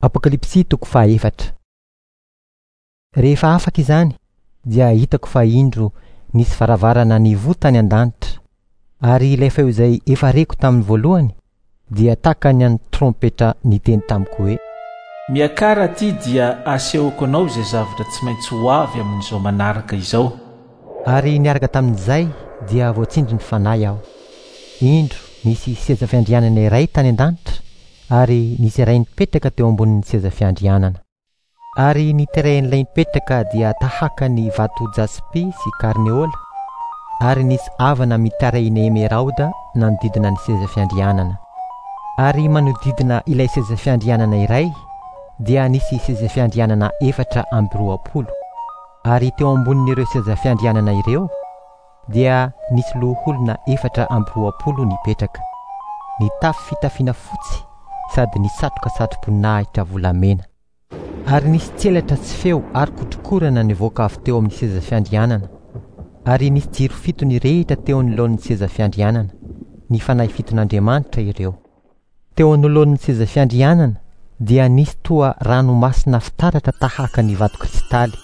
Apokalypsy toko fahaefatra. Rehefa afaka izany, dia hitako fa indro nisy varavarana nivoha tany an-danitra, ary ilay feo izay efa reko tamin'ny voalohany dia tahaka ny an'ny trompetra niteny tamiko hoe. Miakara aty dia asehoko anao izay zavatra tsy maintsy ho avy amin'izao manaraka izao. Ary niaraka tamin'izay dia voatsindrin'ny Fanahy aho. Indro nisy seza fiandrianana iray tany an-danitra, ary nisy iray nipetraka teo ambonin'ny seza fiandrianana. Ary ny tarehin'ilay nipetraka dia tahaka ny vato jaspy sy karneola, ary nisy avana mitarehina emeraoda nanodidina ny seza fiandrianana. Ary manodidina ilay seza fiandrianana iray dia nisy seza fiandrianana 24, ary teo ambonin'ireo seza fiandrianana ireo dia nisy loholona 24 nipetraka, nitafy fitafiana fotsy sady nisatroka satroboninahitra volamena. Ary nisy tselatra sy feo ary kotrokorana nivoaka avy teo amin'ny seza fiandrianana. Ary nisy jiro fito nirehitra teo anoloan'ny seza fiandrianana, ny fanahy fiton'Andriamanitra ireo. Teo anoloan'ny seza fiandrianana dia nisy toa ranomasina fitaratra tahaka ny vato kristaly.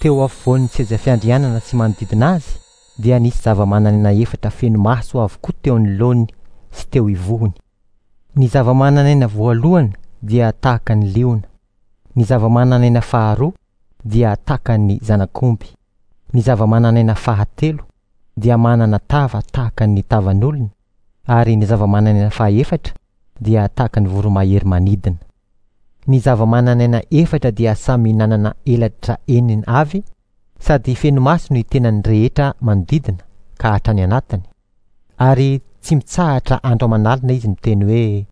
Teo afovoan'ny seza fiandrianana sy manodidina azy dia nisy zava-manan'aina efatra feno maso avokoa teo anoloany sy teo ivohony. Ny zava-manan'aina voalohany dia tahaka ny liona. Ny zava-manan'aina faharoa dia tahaka ny zanak'omby. Ny zava-manan'aina fahatelo dia manana tava tahaka ny tavan'olona, ary ny zava-manan'aina fahaefatra dia tahaka ny voromahery manidina. Ny zava-manan'aina efatra dia samy nanana elatra enina avy sady feno maso ny tenany rehetra manodidina ka hatrany anatiny, ary tsy mitsahatra andro aman'alina izy miteny hoe.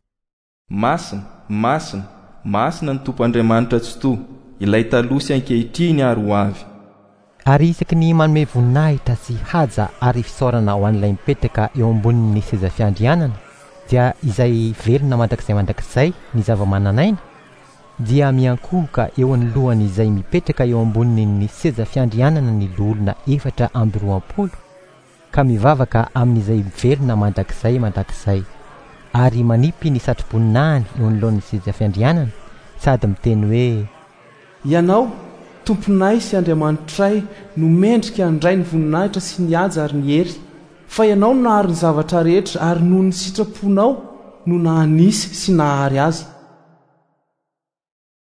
Masina, masina, masina ny Tompo Andriamanitra Tsitoha, ilay taloha sy ankehitriny ary ho avy. Ary isaky ny manome voninahitra sy haja ary fisaorana ho an'ilay mipetraka eo ambonin'ny seza fiandrianana, dia izay velona mandrakizay mandrakizay ny zava-manan'aina, dia miankohoka eo anoloan'izay mipetraka eo ambonin'ny seza fiandrianana ny loholona 24, ka mivavaka amin'izay velona mandrakizay mandrakizay, ary manipy ny satroboninahiny eo anoloan'ny seza fiandrianana, sady miteny hoe. Ianao, Tomponay sy Andriamanitray, no mendrika handray ny voninahitra sy ny haja ary ny hery, fa Ianao no nahary ny zavatra rehetra, ary noho ny sitraponao no nahanisy sy nahary azy.